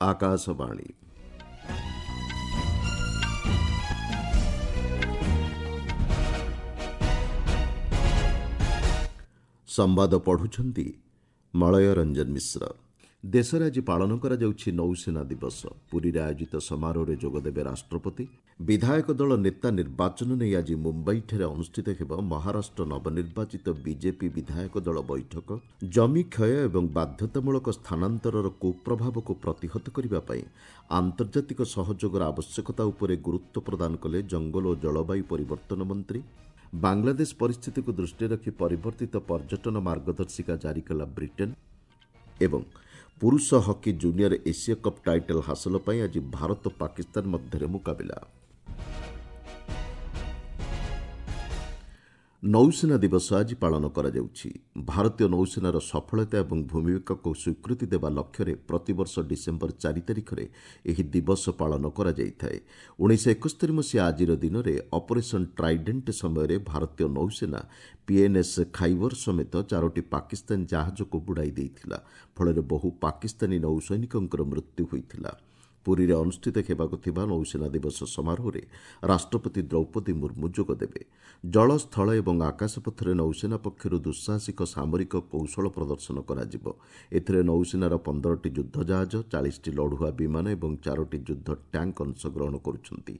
ଆକାଶବାଣୀ। ସମ୍ବାଦ ପଢ଼ୁଛନ୍ତି ମଳୟ ରଞ୍ଜନ ମିଶ୍ର। ଦେଶରେ ଆଜି ପାଳନ କରାଯାଉଛି ନୌସେନା ଦିବସ। ପୁରୀରେ ଆୟୋଜିତ ସମାରୋହରେ ଯୋଗଦେବେ ରାଷ୍ଟ୍ରପତି। ବିଧାୟକ ଦଳ ନେତା ନିର୍ବାଚନ ନେଇ ଆଜି ମୁମ୍ବାଇଠାରେ ଅନୁଷ୍ଠିତ ହେବ ମହାରାଷ୍ଟ୍ର ନବନିର୍ବାଚିତ ବିଜେପି ବିଧାୟକ ଦଳ ବୈଠକ। ଜମି କ୍ଷୟ ଏବଂ ବାଧ୍ୟତାମୂଳକ ସ୍ଥାନାନ୍ତରର କୁପ୍ରଭାବକୁ ପ୍ରତିହତ କରିବା ପାଇଁ ଆନ୍ତର୍ଜାତିକ ସହଯୋଗର ଆବଶ୍ୟକତା ଉପରେ ଗୁରୁତ୍ୱ ପ୍ରଦାନ କଲେ ଜଙ୍ଗଲ ଓ ଜଳବାୟୁ ପରିବର୍ତ୍ତନ ମନ୍ତ୍ରୀ। ବାଂଲାଦେଶ ପରିସ୍ଥିତିକୁ ଦୃଷ୍ଟିରେ ରଖି ପରିବର୍ତ୍ତିତ ପର୍ଯ୍ୟଟନ ମାର୍ଗଦର୍ଶିକା ଜାରି କଲା ବ୍ରିଟେନ୍। ଏବଂ ପୁରୁଷ ହକି ଜୁନିୟର ଏସୀୟ କପ୍ ଟାଇଟଲ୍ ହାସଲ ପାଇଁ ଆଜି ଭାରତ ପାକିସ୍ତାନ ମଧ୍ୟରେ ମୁକାବିଲା। ନୌସେନା ଦିବସ ଆଜି ପାଳନ କରାଯାଉଛି। ଭାରତୀୟ ନୌସେନାର ସଫଳତା ଏବଂ ଭୂମିକାକୁ ସ୍ୱୀକୃତି ଦେବା ଲକ୍ଷ୍ୟରେ ପ୍ରତିବର୍ଷ ଡିସେମ୍ବର 4 ତାରିଖରେ ଏହି ଦିବସ ପାଳନ କରାଯାଇଥାଏ। 1971 ମସିହା ଆଜିର ଦିନରେ ଅପରେସନ୍ ଟ୍ରାଇଡେଣ୍ଟ ସମୟରେ ଭାରତୀୟ ନୌସେନା ପିଏନ୍ଏସ୍ ଖାଇବର ସମେତ 4ଟି ପାକିସ୍ତାନ ଜାହାଜକୁ ବୁଡ଼ାଇ ଦେଇଥିଲା। ଫଳରେ ବହୁ ପାକିସ୍ତାନୀ ନୌସୈନିକଙ୍କର ମୃତ୍ୟୁ ହୋଇଥିଲା। ପୁରୀରେ ଅନୁଷ୍ଠିତ ହେବାକୁ ଥିବା ନୌସେନା ଦିବସ ସମାରୋହରେ ରାଷ୍ଟ୍ରପତି ଦ୍ରୌପଦୀ ମୁର୍ମୁ ଯୋଗଦେବେ। ଜଳ, ସ୍ଥଳ ଏବଂ ଆକାଶପଥରେ ନୌସେନା ପକ୍ଷରୁ ଦୁଃସାହସିକ ସାମରିକ କୌଶଳ ପ୍ରଦର୍ଶନ କରାଯିବ। ଏଥିରେ ନୌସେନାର 15ଟି ଯୁଦ୍ଧ ଜାହାଜ, 40ଟି ଲଢୁଆ ବିମାନ ଏବଂ 4ଟି ଯୁଦ୍ଧ ଟ୍ୟାଙ୍କ ଅଂଶଗ୍ରହଣ କରୁଛନ୍ତି।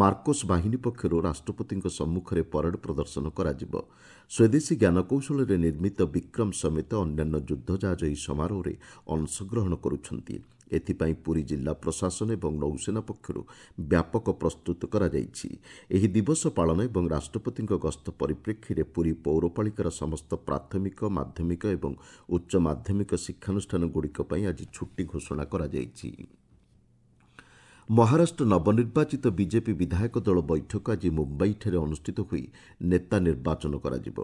ମାର୍କୋସ୍ ବାହିନୀ ପକ୍ଷରୁ ରାଷ୍ଟ୍ରପତିଙ୍କ ସମ୍ମୁଖରେ ପରେଡ୍ ପ୍ରଦର୍ଶନ କରାଯିବ। ସ୍ୱଦେଶୀ ଜ୍ଞାନକୌଶଳରେ ନିର୍ମିତ ବିକ୍ରମ ସମେତ ଅନ୍ୟାନ୍ୟ ଯୁଦ୍ଧ ଜାହାଜ ଏହି ସମାରୋହରେ ଅଂଶଗ୍ରହଣ କରୁଛନ୍ତି। ଏଥିପାଇଁ ପୁରୀ ଜିଲ୍ଲା ପ୍ରଶାସନ ଏବଂ ନୌସେନା ପକ୍ଷରୁ ବ୍ୟାପକ ପ୍ରସ୍ତୁତ କରାଯାଇଛି। ଏହି ଦିବସ ପାଳନ ଏବଂ ରାଷ୍ଟ୍ରପତିଙ୍କ ଗସ୍ତ ପରିପ୍ରେକ୍ଷୀରେ ପୁରୀ ପୌରପାଳିକାର ସମସ୍ତ ପ୍ରାଥମିକ, ମାଧ୍ୟମିକ ଏବଂ ଉଚ୍ଚ ମାଧ୍ୟମିକ ଶିକ୍ଷାନୁଷ୍ଠାନଗୁଡ଼ିକ ପାଇଁ ଆଜି ଛୁଟି ଘୋଷଣା କରାଯାଇଛି। ମହାରାଷ୍ଟ୍ର ନବନିର୍ବାଚିତ ବିଜେପି ବିଧାୟକ ଦଳ ବୈଠକ ଆଜି ମୁମ୍ବାଇଠାରେ ଅନୁଷ୍ଠିତ ହୋଇ ନେତା ନିର୍ବାଚନ କରାଯିବ।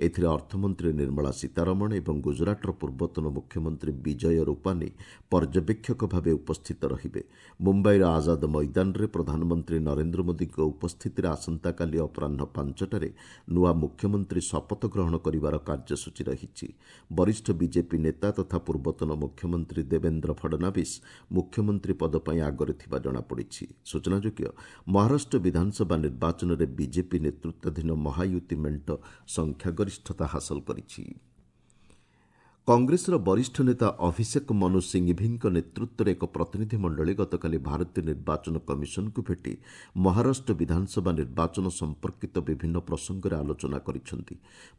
ଏଥିରେ ଅର୍ଥମନ୍ତ୍ରୀ ନିର୍ମଳା ସୀତାରମଣ ଏବଂ ଗୁଜରାଟର ପୂର୍ବତନ ମୁଖ୍ୟମନ୍ତ୍ରୀ ବିଜୟ ରୂପାନୀ ପର୍ଯ୍ୟବେକ୍ଷକ ଭାବେ ଉପସ୍ଥିତ ରହିବେ। ମୁମ୍ବାଇର ଆଜାଦ ମଇଦାନରେ ପ୍ରଧାନମନ୍ତ୍ରୀ ନରେନ୍ଦ୍ର ମୋଦିଙ୍କ ଉପସ୍ଥିତିରେ ଆସନ୍ତାକାଲି ଅପରାହ୍ନ 5ଟାରେ ନୂଆ ମୁଖ୍ୟମନ୍ତ୍ରୀ ଶପଥ ଗ୍ରହଣ କରିବାର କାର୍ଯ୍ୟସୂଚୀ ରହିଛି। ବରିଷ୍ଠ ବିଜେପି ନେତା ତଥା ପୂର୍ବତନ ମୁଖ୍ୟମନ୍ତ୍ରୀ ଦେବେନ୍ଦ୍ର ଫଡନାବିସ୍ ମୁଖ୍ୟମନ୍ତ୍ରୀ ପଦ ପାଇଁ ଆଗରେ ଥିବା ଜଣାପଡ଼ିଛି। ସୂଚନାଯୋଗ୍ୟ, ମହାରାଷ୍ଟ୍ର ବିଧାନସଭା ନିର୍ବାଚନରେ ବିଜେପି ନେତୃତ୍ୱାଧୀନ ମହାୟୁତି ମେଣ୍ଟ ସଂଖ୍ୟାଗରିଷ୍ଠତା ହାସଲ କରିଛି। କଂଗ୍ରେସର ବରିଷ୍ଠ ନେତା ଅଭିଷେକ ମନୁ ସିଂଭିଙ୍କ ନେତୃତ୍ୱରେ ଏକ ପ୍ରତିନିଧି ମଣ୍ଡଳୀ ଗତକାଲି ଭାରତୀୟ ନିର୍ବାଚନ କମିଶନଙ୍କୁ ଭେଟି ମହାରାଷ୍ଟ୍ର ବିଧାନସଭା ନିର୍ବାଚନ ସମ୍ପର୍କିତ ବିଭିନ୍ନ ପ୍ରସଙ୍ଗରେ ଆଲୋଚନା କରିଛନ୍ତି।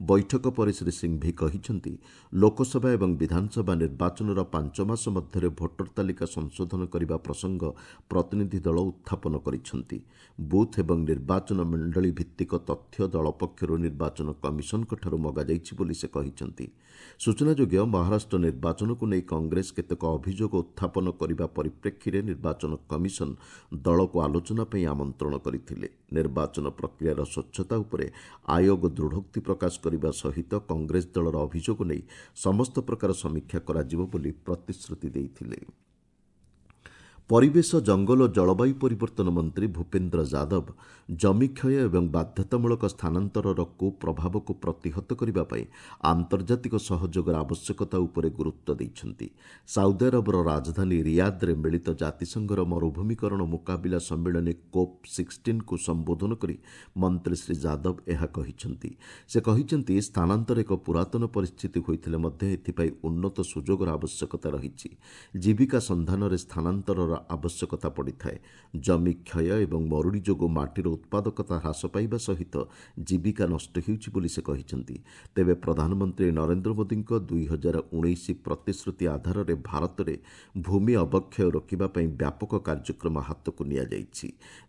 ବୈଠକ ପରେ ଶ୍ରୀ ସିଂଭି କହିଛନ୍ତି, ଲୋକସଭା ଏବଂ ବିଧାନସଭା ନିର୍ବାଚନର 5 ମାସ ମଧ୍ୟରେ ଭୋଟର ତାଲିକା ସଂଶୋଧନ କରିବା ପ୍ରସଙ୍ଗ ପ୍ରତିନିଧି ଦଳ ଉତ୍ଥାପନ କରିଛନ୍ତି। ବୁଥ୍ ଏବଂ ନିର୍ବାଚନ ମଣ୍ଡଳୀ ଭିତ୍ତିକ ତଥ୍ୟ ଦଳ ପକ୍ଷରୁ ନିର୍ବାଚନ କମିଶନଙ୍କଠାରୁ ମଗାଯାଇଛି ବୋଲି ସେ କହିଛନ୍ତି। ସୂଚନାଯୋଗ୍ୟ, ମହାରାଷ୍ଟ୍ର ନିର୍ବାଚନକୁ ନେଇ କଂଗ୍ରେସ କେତେକ ଅଭିଯୋଗ ଉତ୍ଥାପନ କରିବା ପରିପ୍ରେକ୍ଷୀରେ ନିର୍ବାଚନ କମିଶନ ଦଳକୁ ଆଲୋଚନା ପାଇଁ ଆମନ୍ତ୍ରଣ କରିଥିଲେ। ନିର୍ବାଚନ ପ୍ରକ୍ରିୟାର ସ୍ୱଚ୍ଛତା ଉପରେ ଆୟୋଗ ଦୃଢ଼ୋକ୍ତି ପ୍ରକାଶ କରିବା ସହିତ କଂଗ୍ରେସ ଦଳର ଅଭିଯୋଗ ନେଇ ସମସ୍ତ ପ୍ରକାର ସମୀକ୍ଷା କରାଯିବ ବୋଲି ପ୍ରତିଶ୍ରୁତି ଦେଇଥିଲେ। ପରିବେଶ, ଜଙ୍ଗଲ ଓ ଜଳବାୟୁ ପରିବର୍ତ୍ତନ ମନ୍ତ୍ରୀ ଭୂପେନ୍ଦ୍ର ଯାଦବ ଜମି କ୍ଷୟ ଏବଂ ବାଧ୍ୟତାମୂଳକ ସ୍ଥାନାନ୍ତରର କୁପ୍ରଭାବକୁ ପ୍ରତିହତ କରିବା ପାଇଁ ଆନ୍ତର୍ଜାତିକ ସହଯୋଗର ଆବଶ୍ୟକତା ଉପରେ ଗୁରୁତ୍ୱ ଦେଇଛନ୍ତି। ସାଉଦି ଆରବର ରାଜଧାନୀ ରିୟାଦରେ ମିଳିତ ଜାତିସଂଘର ମରୁଭୂମିକରଣ ମୁକାବିଲା ସମ୍ମିଳନୀ କୋପ୍ 16କୁ ସମ୍ବୋଧନ କରି ମନ୍ତ୍ରୀ ଶ୍ରୀ ଯାଦବ ଏହା କହିଛନ୍ତି। ସେ କହିଛନ୍ତି, ସ୍ଥାନାନ୍ତର ଏକ ପୁରାତନ ପରିସ୍ଥିତି ହୋଇଥିଲେ ମଧ୍ୟ ଏଥିପାଇଁ ଉନ୍ନତ ସୁଯୋଗର ଆବଶ୍ୟକତା ରହିଛି। ଜୀବିକା ସନ୍ଧାନରେ ସ୍ଥାନାନ୍ତରର ଆବଶ୍ୟକତା ପଡ଼ିଥାଏ। ଜମି କ୍ଷୟ ଏବଂ ମରୁଡ଼ି ଯୋଗୁଁ ମାଟିର ଉତ୍ପାଦକତା ହ୍ରାସ ପାଇବା ସହିତ ଜୀବିକା ନଷ୍ଟ ହେଉଛି ବୋଲି ସେ କହିଛନ୍ତି। ତେବେ ପ୍ରଧାନମନ୍ତ୍ରୀ ନରେନ୍ଦ୍ର ମୋଦିଙ୍କ 2019 ପ୍ରତିଶ୍ରୁତି ଆଧାରରେ ଭାରତରେ ଭୂମି ଅବକ୍ଷୟ ରୋକିବା ପାଇଁ ବ୍ୟାପକ କାର୍ଯ୍ୟକ୍ରମ ହାତକୁ ନିଆଯାଇଛି।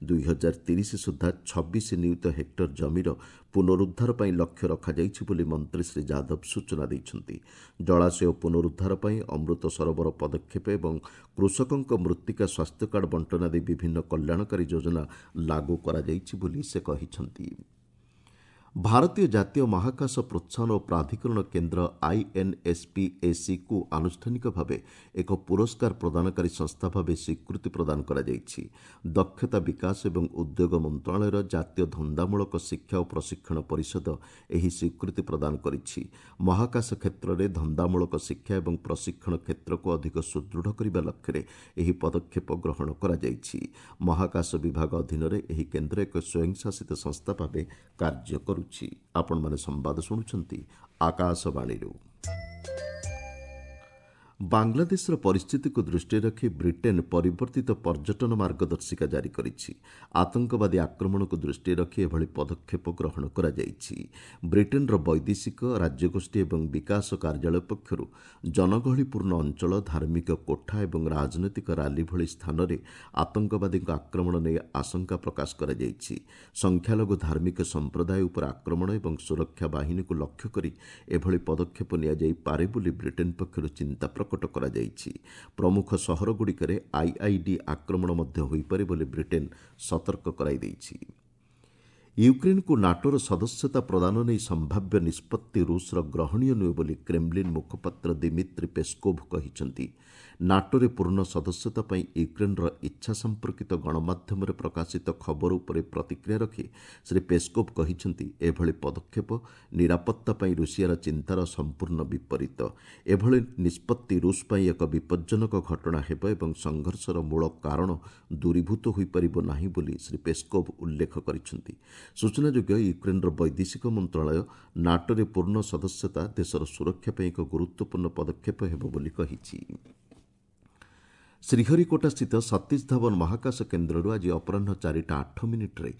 2030 ସୁଦ୍ଧା 26 ନିୟୁତ ହେକ୍ଟର ଜମିର ପୁନରୁଦ୍ଧାର ପାଇଁ ଲକ୍ଷ୍ୟ ରଖାଯାଇଛି ବୋଲି ମନ୍ତ୍ରୀ ଶ୍ରୀ ଯାଦବ ସୂଚନା ଦେଇଛନ୍ତି। ଜଳାଶୟ ପୁନରୁଦ୍ଧାର ପାଇଁ ଅମୃତ ସରୋବର ପଦକ୍ଷେପ ଏବଂ କୃଷକଙ୍କ ମୃତ୍ତିକା ସ୍ୱାସ୍ଥ୍ୟ କାର୍ଡ ବଣ୍ଟନ ଆଦି ବିଭିନ୍ନ କଲ୍ୟାଣକାରୀ ଯୋଜନା ଲାଗୁ କରାଯାଇଛି ବୋଲି ସେ କହିଛନ୍ତି। ଭାରତୀୟ ଜାତୀୟ ମହାକାଶ ପ୍ରୋତ୍ସାହନ ଓ ପ୍ରାଧିକରଣ କେନ୍ଦ୍ର ଆଇଏନ୍ଏସ୍ପିଏସିକୁ ଆନୁଷ୍ଠାନିକ ଭାବେ ଏକ ପୁରସ୍କାର ପ୍ରଦାନକାରୀ ସଂସ୍ଥା ଭାବେ ସ୍ୱୀକୃତି ପ୍ରଦାନ କରାଯାଇଛି। ଦକ୍ଷତା ବିକାଶ ଏବଂ ଉଦ୍ୟୋଗ ମନ୍ତ୍ରଣାଳୟର ଜାତୀୟ ଧନ୍ଦାମୂଳକ ଶିକ୍ଷା ଓ ପ୍ରଶିକ୍ଷଣ ପରିଷଦ ଏହି ସ୍ୱୀକୃତି ପ୍ରଦାନ କରିଛି। ମହାକାଶ କ୍ଷେତ୍ରରେ ଧନ୍ଦାମୂଳକ ଶିକ୍ଷା ଏବଂ ପ୍ରଶିକ୍ଷଣ କ୍ଷେତ୍ରକୁ ଅଧିକ ସୁଦୃଢ଼ କରିବା ଲକ୍ଷ୍ୟରେ ଏହି ପଦକ୍ଷେପ ଗ୍ରହଣ କରାଯାଇଛି। ମହାକାଶ ବିଭାଗ ଅଧୀନରେ ଏହି କେନ୍ଦ୍ର ଏକ ସ୍ୱୟଂଶାସିତ ସଂସ୍ଥା ଭାବେ କାର୍ଯ୍ୟ କରୁଛି। ଆପଣମାନେ ସମ୍ବାଦ ଶୁଣୁଛନ୍ତି ଆକାଶବାଣୀରୁ। ବାଂଲାଦେଶର ପରିସ୍ଥିତିକୁ ଦୃଷ୍ଟିରେ ରଖି ବ୍ରିଟେନ୍ ପରିବର୍ତ୍ତିତ ପର୍ଯ୍ୟଟନ ମାର୍ଗଦର୍ଶିକା ଜାରି କରିଛି। ଆତଙ୍କବାଦୀ ଆକ୍ରମଣକୁ ଦୃଷ୍ଟିରେ ରଖି ଏଭଳି ପଦକ୍ଷେପ ଗ୍ରହଣ କରାଯାଇଛି। ବ୍ରିଟେନ୍ର ବୈଦେଶିକ, ରାଜ୍ୟଗୋଷ୍ଠୀ ଏବଂ ବିକାଶ କାର୍ଯ୍ୟାଳୟ ପକ୍ଷରୁ ଜନଗହଳିପୂର୍ଣ୍ଣ ଅଞ୍ଚଳ, ଧାର୍ମିକ କୋଠା ଏବଂ ରାଜନୈତିକ ରାଲି ଭଳି ସ୍ଥାନରେ ଆତଙ୍କବାଦୀଙ୍କ ଆକ୍ରମଣ ନେଇ ଆଶଙ୍କା ପ୍ରକାଶ କରାଯାଇଛି। ସଂଖ୍ୟାଲଘୁ ଧାର୍ମିକ ସମ୍ପ୍ରଦାୟ ଉପରେ ଆକ୍ରମଣ ଏବଂ ସୁରକ୍ଷା ବାହିନୀକୁ ଲକ୍ଷ୍ୟ କରି ଏଭଳି ପଦକ୍ଷେପ ନିଆଯାଇପାରେ ବୋଲି ବ୍ରିଟେନ୍ ପକ୍ଷରୁ ଚିନ୍ତା ପ୍ରକଟ କରାଯାଇଛି। ପ୍ରମୁଖ ସହରଗୁଡ଼ିକରେ ଆଇଇଡି ଆକ୍ରମଣ ମଧ୍ୟ ହୋଇପାରେ ବୋଲି ବ୍ରିଟେନ୍ ସତର୍କ କରାଇ ଦେଇଛି। ୟୁକ୍ରେନ୍କୁ ନାଟୋର ସଦସ୍ୟତା ପ୍ରଦାନ ନେଇ ସମ୍ଭାବ୍ୟ ନିଷ୍ପତ୍ତି ରୁଷର ଗ୍ରହଣୀୟ ନୁହେଁ ବୋଲି କ୍ରେମଲିନ୍ ମୁଖପାତ୍ର ଦିମିତ୍ରି ପେସ୍କୋଭ୍ କହିଛନ୍ତି। ନାଟୋରେ ପୂର୍ଣ୍ଣ ସଦସ୍ୟତା ପାଇଁ ୟୁକ୍ରେନ୍ର ଇଚ୍ଛା ସମ୍ପର୍କିତ ଗଣମାଧ୍ୟମରେ ପ୍ରକାଶିତ ଖବର ଉପରେ ପ୍ରତିକ୍ରିୟା ରଖି ଶ୍ରୀ ପେସ୍କୋଭ୍ କହିଛନ୍ତି, ଏଭଳି ପଦକ୍ଷେପ ନିରାପତ୍ତା ପାଇଁ ରୁଷିଆର ଚିନ୍ତାର ସମ୍ପୂର୍ଣ୍ଣ ବିପରୀତ। ଏଭଳି ନିଷ୍ପତ୍ତି ରୁଷ ପାଇଁ ଏକ ବିପଜ୍ଜନକ ଘଟଣା ହେବ ଏବଂ ସଂଘର୍ଷର ମୂଳ କାରଣ ଦୂରୀଭୂତ ହୋଇପାରିବ ନାହିଁ ବୋଲି ଶ୍ରୀ ପେସ୍କୋଭ୍ ଉଲ୍ଲେଖ କରିଛନ୍ତି। ସୂଚନାଯୋଗ୍ୟ, ୟୁକ୍ରେନ୍ର ବୈଦେଶିକ ମନ୍ତ୍ରଣାଳୟ ନାଟୋରେ ପୂର୍ଣ୍ଣ ସଦସ୍ୟତା ଦେଶର ସୁରକ୍ଷା ପାଇଁ ଏକ ଗୁରୁତ୍ୱପୂର୍ଣ୍ଣ ପଦକ୍ଷେପ ହେବ ବୋଲି କହିଛି। ଶ୍ରୀହରିକୋଟାସ୍ଥିତ ସତୀଶ ଧାୱନ ମହାକାଶ କେନ୍ଦ୍ରରୁ ଆଜି ଅପରାହ୍ନ 4ଟା 8 ମିନିଟ୍ରେ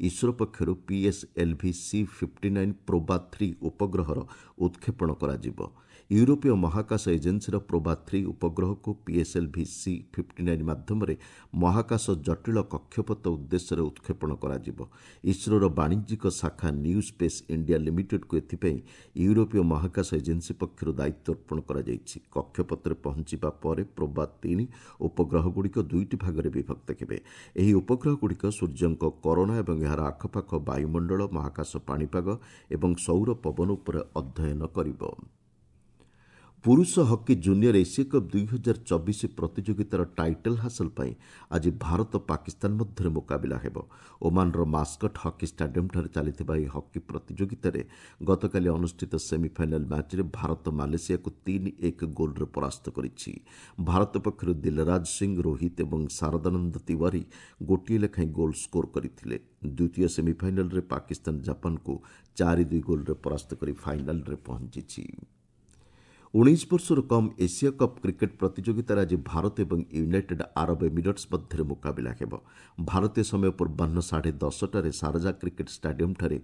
ଇସ୍ରୋ ପକ୍ଷରୁ ପିଏସ୍ଏଲ୍ଭି ସି-59 ପ୍ରୋବା 3 ଉପଗ୍ରହର ଉତ୍କ୍ଷେପଣ କରାଯିବ। ୟୁରୋପୀୟ ମହାକାଶ ଏଜେନ୍ସିର ପ୍ରୋବା 3 ଉପଗ୍ରହକୁ ପିଏସ୍ଏଲ୍ଭି ସି-59 ମାଧ୍ୟମରେ ମହାକାଶ ଜଟିଳ କକ୍ଷପଥ ଉଦ୍ଦେଶ୍ୟରେ ଉତ୍କ୍ଷେପଣ କରାଯିବ। ଇସ୍ରୋର ବାଣିଜ୍ୟିକ ଶାଖା ନ୍ୟୁ ସ୍ପେସ୍ ଇଣ୍ଡିଆ ଲିମିଟେଡ୍କୁ ଏଥିପାଇଁ ୟୁରୋପୀୟ ମହାକାଶ ଏଜେନ୍ସି ପକ୍ଷରୁ ଦାୟିତ୍ୱ ଅର୍ପଣ କରାଯାଇଛି। କକ୍ଷପଥରେ ପହଞ୍ଚିବା ପରେ ପ୍ରୋବା 3 ଉପଗ୍ରହଗୁଡ଼ିକ ଦୁଇଟି ଭାଗରେ ବିଭକ୍ତ ହେବେ। ଏହି ଉପଗ୍ରହଗୁଡ଼ିକ ସୂର୍ଯ୍ୟଙ୍କ କରୋନା ଏବଂ ଏହାର ଆଖପାଖ ବାୟୁମଣ୍ଡଳ, ମହାକାଶ ପାଣିପାଗ ଏବଂ ସୌର ପବନ ଉପରେ ଅଧ୍ୟୟନ କରିବ। ପୁରୁଷ ହକି ଜୁନିୟର ଏସୀୟ କପ୍ 2024 ପ୍ରତିଯୋଗିତାର ଟାଇଟଲ୍ ହାସଲ ପାଇଁ ଆଜି ଭାରତ ପାକିସ୍ତାନ ମଧ୍ୟରେ ମୁକାବିଲା ହେବ। ଓମାନର ମାସ୍କଟ ହକି ଷ୍ଟାଡିୟମ୍ଠାରେ ଚାଲିଥିବା ଏହି ହକି ପ୍ରତିଯୋଗିତାରେ ଗତକାଲି ଅନୁଷ୍ଠିତ ସେମିଫାଇନାଲ୍ ମ୍ୟାଚ୍ରେ ଭାରତ ମାଲେସିଆକୁ 3-1 ଗୋଲ୍ରେ ପରାସ୍ତ କରିଛି। ଭାରତ ପକ୍ଷରୁ ଦିଲରାଜ ସିଂ, ରୋହିତ ଏବଂ ଶାରଦାନନ୍ଦ ତିୱାରୀ ଗୋଟିଏ ଲେଖାଏଁ ଗୋଲ୍ ସ୍କୋର କରିଥିଲେ। ଦ୍ୱିତୀୟ ସେମିଫାଇନାଲ୍ରେ ପାକିସ୍ତାନ ଜାପାନକୁ 4-2 ଗୋଲ୍ରେ ପରାସ୍ତ କରି ଫାଇନାଲ୍ରେ ପହଞ୍ଚିଛି। 19 ବର୍ଷରୁ କମ୍ ଏସିଆ କପ୍ କ୍ରିକେଟ୍ ପ୍ରତିଯୋଗିତାରେ ଆଜି ଭାରତ ଏବଂ ୟୁନାଇଟେଡ୍ ଆରବ ଏମିରେଟ୍ସ ମଧ୍ୟରେ ମୁକାବିଲା ହେବ। ଭାରତୀୟ ସମୟ ପୂର୍ବାହ୍ନ 10:30ଟାରେ ସାରଜା କ୍ରିକେଟ୍ ଷ୍ଟାଡିୟମ୍ଠାରେ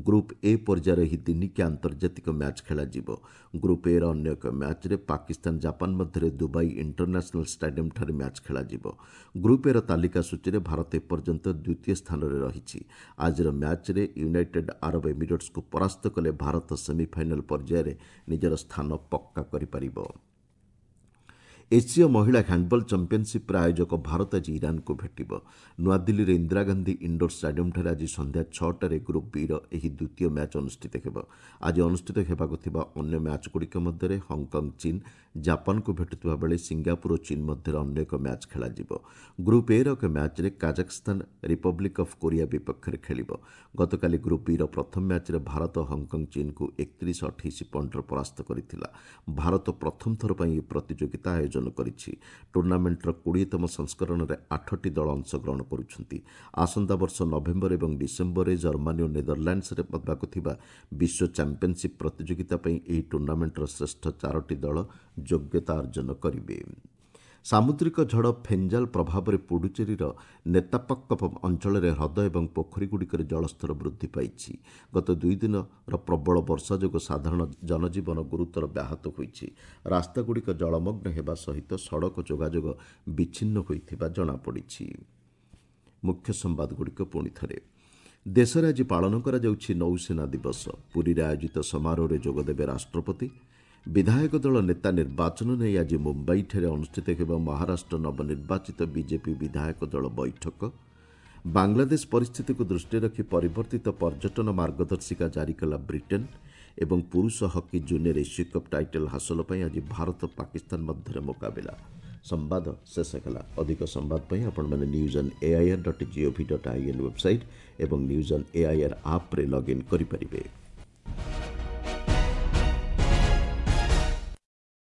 ଗ୍ରୁପ୍ ଏ ପର୍ଯ୍ୟାୟର ଏହି ଦିନିକିଆ ଆନ୍ତର୍ଜାତିକ ମ୍ୟାଚ୍ ଖେଳାଯିବ। ଗ୍ରୁପ୍ ଏର ଅନ୍ୟ ଏକ ମ୍ୟାଚ୍ରେ ପାକିସ୍ତାନ ଜାପାନ ମଧ୍ୟରେ ଦୁବାଇ ଇଣ୍ଟରନ୍ୟାସନାଲ୍ ଷ୍ଟାଡିୟମ୍ଠାରେ ମ୍ୟାଚ୍ ଖେଳାଯିବ। ଗ୍ରୁପ୍ ଏର ତାଲିକା ସୂଚୀରେ ଭାରତ ଏପର୍ଯ୍ୟନ୍ତ ଦ୍ୱିତୀୟ ସ୍ଥାନରେ ରହିଛି। ଆଜିର ମ୍ୟାଚ୍ରେ ୟୁନାଇଟେଡ୍ ଆରବ ଏମିରେଟ୍ସକୁ ପରାସ୍ତ କଲେ ଭାରତ ସେମିଫାଇନାଲ୍ ପର୍ଯ୍ୟାୟରେ ନିଜର ସ୍ଥାନ ପକ୍କା କରିପାରିବ। ଏସୀୟ ମହିଳା ହ୍ୟାଣ୍ଡବଲ୍ ଚାମ୍ପିୟନସିପ୍ରେ ଆୟୋଜକ ଭାରତ ଆଜି ଇରାନକୁ ଭେଟିବ। ନୂଆଦିଲ୍ଲୀର ଇନ୍ଦିରାଗାନ୍ଧୀ ଇଣ୍ଡୋର ଷ୍ଟାଡିୟମ୍ଠାରେ ଆଜି ସନ୍ଧ୍ୟା 6ଟାରେ ଗ୍ରୁପ୍ ବିର ଏହି ଦ୍ୱିତୀୟ ମ୍ୟାଚ୍ ଅନୁଷ୍ଠିତ ହେବ। ଆଜି ଅନୁଷ୍ଠିତ ହେବାକୁ ଥିବା ଅନ୍ୟ ମ୍ୟାଚ୍ଗୁଡ଼ିକ ମଧ୍ୟରେ ହଂକଂ ଚୀନ୍ ଜାପାନକୁ ଭେଟୁଥିବା ବେଳେ ସିଙ୍ଗାପୁର ଓ ଚୀନ୍ ମଧ୍ୟରେ ଅନ୍ୟ ଏକ ମ୍ୟାଚ୍ ଖେଳାଯିବ। ଗ୍ରୁପ୍ ଏର ଏକ ମ୍ୟାଚ୍ରେ କାଜାକସ୍ତାନ ରିପବ୍ଲିକ୍ ଅଫ୍ କୋରିଆ ବିପକ୍ଷରେ ଖେଳିବ। ଗତକାଲି ଗ୍ରୁପ୍ ବିର ପ୍ରଥମ ମ୍ୟାଚ୍ରେ ଭାରତ ହଂକଂ ଚୀନ୍କୁ 31-28 ପଏଣ୍ଟରେ ପରାସ୍ତ କରିଥିଲା। ଭାରତ ପ୍ରଥମ ଥର ପାଇଁ ଏହି ପ୍ରତିଯୋଗିତା ଆୟୋଜନ କରିଛି। ଟୁର୍ଣ୍ଣାମେଣ୍ଟର 20ତମ ସଂସ୍କରଣରେ ଆଠଟି ଦଳ ଅଂଶଗ୍ରହଣ କରୁଛନ୍ତି। ଆସନ୍ତା ବର୍ଷ ନଭେମ୍ବର ଏବଂ ଡିସେମ୍ବରରେ ଜର୍ମାନୀ ଓ ନେଦରଲ୍ୟାଣ୍ଡସରେ ହେବାକୁ ଥିବା ବିଶ୍ୱ ଚାମ୍ପିୟନସିପ୍ ପ୍ରତିଯୋଗିତା ପାଇଁ ଏହି ଟୁର୍ଣ୍ଣାମେଣ୍ଟର ଶ୍ରେଷ୍ଠ ଚାରୋଟି ଦଳ ଯୋଗ୍ୟତା ଅର୍ଜନ କରିବେ। ସାମୁଦ୍ରିକ ଝଡ଼ ଫେଞ୍ଜାଲ ପ୍ରଭାବରେ ପୁଡୁଚେରୀର ନେତାପାକ୍କମ୍ ଅଞ୍ଚଳରେ ହ୍ରଦ ଏବଂ ପୋଖରୀଗୁଡ଼ିକରେ ଜଳସ୍ତର ବୃଦ୍ଧି ପାଇଛି। ଗତ 2 ଦିନର ପ୍ରବଳ ବର୍ଷା ଯୋଗୁଁ ସାଧାରଣ ଜନଜୀବନ ଗୁରୁତର ବ୍ୟାହତ ହୋଇଛି। ରାସ୍ତାଗୁଡ଼ିକ ଜଳମଗ୍ନ ହେବା ସହିତ ସଡ଼କ ଯୋଗାଯୋଗ ବିଚ୍ଛିନ୍ନ ହୋଇଥିବା ଜଣାପଡ଼ିଛି। ମୁଖ୍ୟ ସମ୍ବାଦଗୁଡ଼ିକ ପୁଣି ଥରେ। ଦେଶରେ ଆଜି ପାଳନ କରାଯାଉଛି ନୌସେନା ଦିବସ। ପୁରୀରେ ଆୟୋଜିତ ସମାରୋହରେ ଯୋଗଦେବେ ରାଷ୍ଟ୍ରପତି। ବିଧାୟକ ଦଳ ନେତା ନିର୍ବାଚନ ନେଇ ଆଜି ମୁମ୍ବାଇଠାରେ ଅନୁଷ୍ଠିତ ହେବ ମହାରାଷ୍ଟ୍ର ନବନିର୍ବାଚିତ ବିଜେପି ବିଧାୟକ ଦଳ ବୈଠକ। ବାଂଲାଦେଶ ପରିସ୍ଥିତିକୁ ଦୃଷ୍ଟିରେ ରଖି ପରିବର୍ତ୍ତିତ ପର୍ଯ୍ୟଟନ ମାର୍ଗଦର୍ଶିକା ଜାରି କଲା ବ୍ରିଟେନ୍। ଏବଂ ପୁରୁଷ ହକି ଜୁନିୟର ଏସୀୟ କପ୍ ଟାଇଟଲ୍ ହାସଲ ପାଇଁ ଆଜି ଭାରତ ପାକିସ୍ତାନ ମଧ୍ୟରେ ମୁକାବିଲା। ସମ୍ବାଦ ଶେଷ ହେଲା। ଅଧିକ ସମ୍ବାଦ ପାଇଁ ଆପଣମାନେ news on AIR dot GOV dot IN website ଏବଂ ନ୍ୟୁଜ୍ ଅନ୍ ଏଆଇଆର୍ ଆପ୍ରେ ଲଗ୍ଇନ୍ କରିପାରିବେ।